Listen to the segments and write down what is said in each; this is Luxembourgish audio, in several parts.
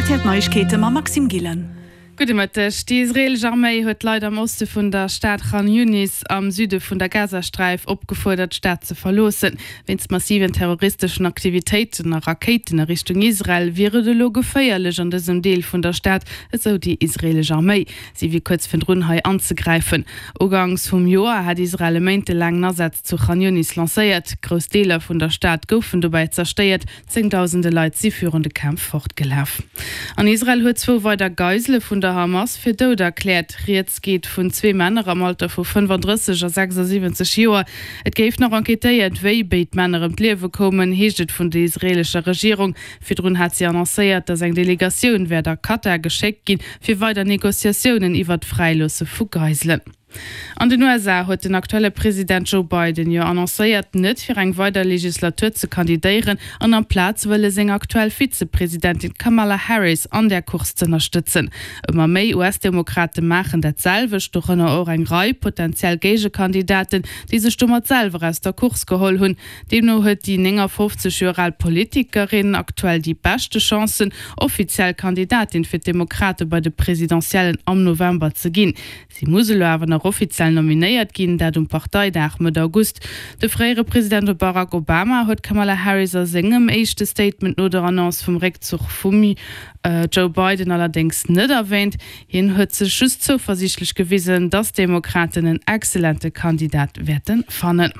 Rtl Neiegkeete mam Maxime Gillen. Gudde Mëtteg. Déi israeelesch Arméi huet d'Leit am Oste vun der Stad Khan Younis am Süde vun der Gazasträif opgefuerdert, d'Stad ze verloossen. Wéinst massiven terroristeschen Aktivitéiten a Rakéiten a Richtung Israel wier et elo geféierlech an dësem Deel vun der Stad, esou déi israeelesch Arméi. Si wier kuerz virdrun hei anzegräifen. Uganks vum Joer hat Israel e méintelaangen Asaz zu Khan Younis lancéiert. Grouss Deeler vun der Stad goufen dobäi zerstéiert. Zéngdausende Leit si virun de Kämpf fortgelaf. An Israel huet zwou weider Geisele vun der Hamas fir dout erkläert. Rieds geet vun zwee Männer am Alter vu 35 a 76 Joer. Et géif nach enquêtéiert, wéi béid Männer ëm d'Liewe koumen, heescht et vun der israeelescher Regierung. Virdrun hat si annoncéiert, datt eng Delegatioun wäert a Katar geschéckt ginn, fir weider Negociatiounen iwwert d'Fräiloosse vu Geiselen. An den USA huet den aktuelle President Joe Biden jo annoncéiert, net fir eng weider Legislatur ze kandidéieren an amplaz wëlle seng aktuell Vizepresidentin Kamala Harris an där Course z'ënnerstëtzen. Ëmmer méi US-Demokrate maachen dat selwecht, dorënner och eng Rei potentiell Géigekandidaten, déi sech domat selwer aus der Course geholl hunn. Deemno huet déi 59 Joer al Politikerin aktuell déi beschte Chancen, offiziell Kandidatin fir d'Demokrate bei de Presidentiellen am November ze ginn. Si muss elo awer nach offiziell nominéiert ginn, dat um Parteidag Mëtt August. De fréiere President Barack Obama huet d'Kamala Harris a sengem éischte Statement no der Annonce vum Réckzuch vum Joe Biden allerdéngs net erwäänt. Hien huet sech just zouversiichtlech gewisen, datt d'Demokraten en excellente Kandidat wäerte fannen.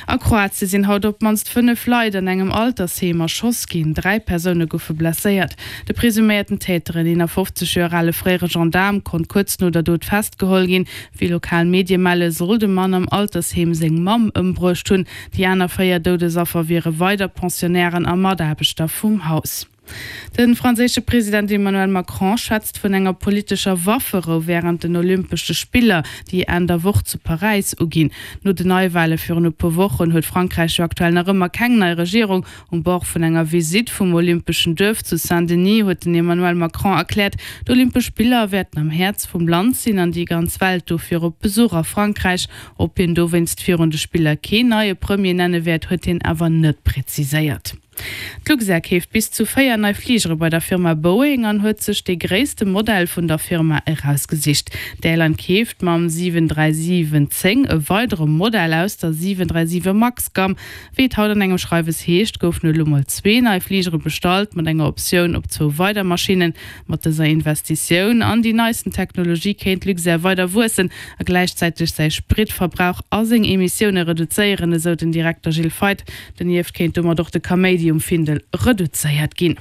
A Kroatie sinn haut op d'mannst 5 Leit an engem Altersheem erschoss ginn. 3 Persoune goufe blesséiert. De presuméierten Täter, en 51 Joer ale fréiere Gendaarm, konnt kuerz no der Dot festgeholl ginn. Wéi lokal Medie melle soll de Mann am Altersheem seng Mamm ëmbruecht hunn. Déi aner 4 Doudesaffer wiere weider Pensionnairen a Mataarbechter vum Haus. De franséische President Emmanuel Macron schwätzt vun enger politescher Wafferou wärend den Olympesche Spiller, déi Enn der Woch zu Paräis uginn. No den Neiwale virun e puer Wochen huet Frankräich jo aktuell nach ëmmer keng nei Regierung. Um Bord vun enger Visitt vum Olympeschen Duerf zu Saint-Denis huet den Emmanuel Macron erkläert, d'Olympesch Spiller wäerten am Häerz vum Land sinn an déi ganz Welt dofir op Besuch a Frankräich. Ob hien dowéinst virun de Spiller keen neie Premier nenne wäert, huet hien awer net präziséiert. D'Luxair keeft bis zu 4 nei Fligere bei der Firma Boeing an huet sech dee gréisste Modell vun der Firma erausgesicht. D'Airline keeft mam 737-10 e weidere Modell aus der 737 Max-Gamm. Wéi et haut an engem Schreiwes heescht, goufen elo mol zwee nei Fligere bestallt, mat enger Optioun op zwou weider Maschinnen. Mat dëser Investitioun an déi neisten Technologie kéint Luxair weider wuessen a gläichzäiteg säi Spritverbrauch a seng Emissioune reduzéieren, esou den Direkter Gilles Feith. Donieft kéint domat och de Kaméidi um Findel reduzéiert ginn.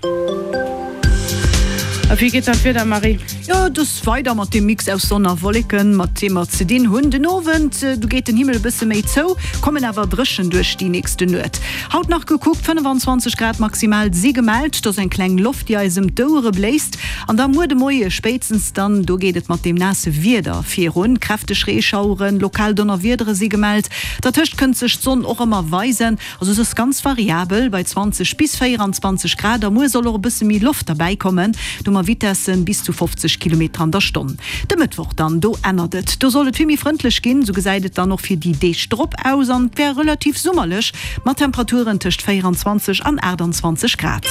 A wéi geet dann d'Wieder, Marie? Jo, et ass weider mat deem Mix aus Sonn a Wolleken, mat deem mer ze dinn hunn. Den Owend, du geet den Himmel e bësse méi zou, kommen awer dréchen duerch déi nächste Nuet. Haut nach gekuckt, 25 Grad maximal si gemellt, et ass eng kleng Loft, déi eis ëm d'Ouere bléist. An da muer de Moie spéitstens dann, do geet et mat deem naasse Wieder virun. Kräfteg Reeschaueren, lokal Donnerwiedere si gemellt. Dertëscht kënnt sech d'Sonn och ëmmer weisen, also se ass ganz variabel bei 20 bis 24 Grad a muer soll och e bësse méi Loft derbäi kommen, do mer Vitessen bis zu 50 Kilometer an der Stonn. De Mëttwoch dann, do ännert et, do soll et vill méi frëndlech ginn, sou gesäit et dann och fir déi Deeg drop aus an et wär relativ summerlech mat Temperaturen tëscht 24 an 28 Grad.